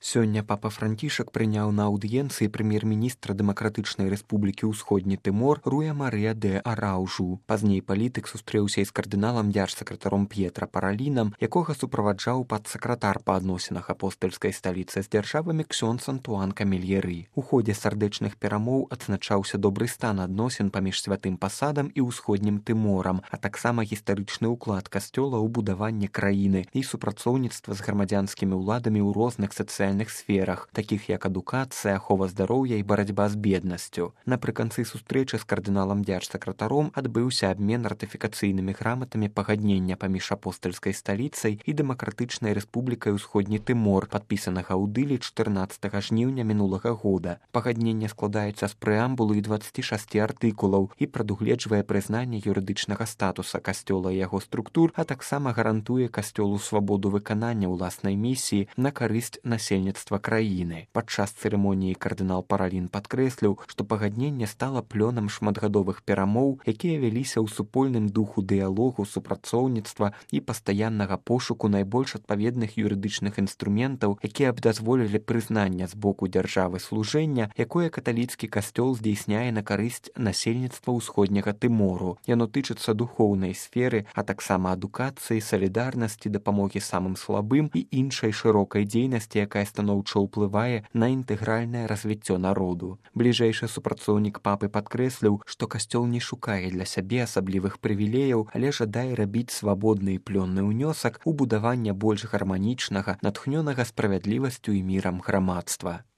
Сёння папа Францішак прыняў на аўдыенцыі прэм'ер-міністра Дэмакратычнай Рэспублікі Ўсходні Тымор Руя Марыя дэ Араўжу. Пазней палітык сустрэўся і з кардыналам дзяржсакратаром П'етра Паралінам, якога суправаджаў падсакратар па адносінах апостальскай сталіцы з дзяржавамі ксёндз Антуан Камельеры. У ходзе сардэчных перамоў адзначаўся добры стан адносін паміж святым пасадам і ўсходнім Тыморам, а таксама гістарычны ўклад касцёла ў будаванне краіны і супрацоўніцтва з грамадзянскімі ўладамі ў розных сацыяльных сферах, такіх як адукацыя, ахова здароўя і барацьба з беднасцю. Напрыканцы сустрэчы з кардыналам дзяржсакратаром адбыўся абмен ратыфікацыйнымі граматамі пагаднення паміж апостальскай сталіцай і Дэмакратычнай Рэспублікай Усходні Тымор, падпісанага ў Дылі 14 жніўня мінулага года. Пагадненне складаецца з прэамбулы і 26 артыкулаў і прадугледжвае прызнанне юрыдычнага статуса касцёла і яго структур, а таксама гарантуе касцёлу свабоду выканання ўласнай місіі на карысць насельніцтва краіны. Падчас цырымоніі кардынал Паралін падкрэсліў, што пагадненне стала плёнам шматгадовых перамоў, якія вяліся ў супольным духу дыялогу, супрацоўніцтва і пастаяннага пошуку найбольш адпаведных юрыдычных інструментаў, якія б дазволілі прызнання з боку дзяржавы служэння, якое каталіцкі касцёл здзейсняе на карысць насельніцтва ўсходняга Тымору. Яно тычыцца духоўнай сферы, а таксама адукацыі, салідарнасці, дапамогі самым слабым і іншай шырокай дзейнасці, якая станоўча ўплывае на інтэгральнае развіццё народу. Бліжэйшы супрацоўнік папы падкрэсліў, што касцёл не шукае для сябе асаблівых прывілеяў, але жадае рабіць свабодны і плённы ўнёсак у будаванне больш гарманічнага, натхнёнага справядлівасцю і мірам грамадства.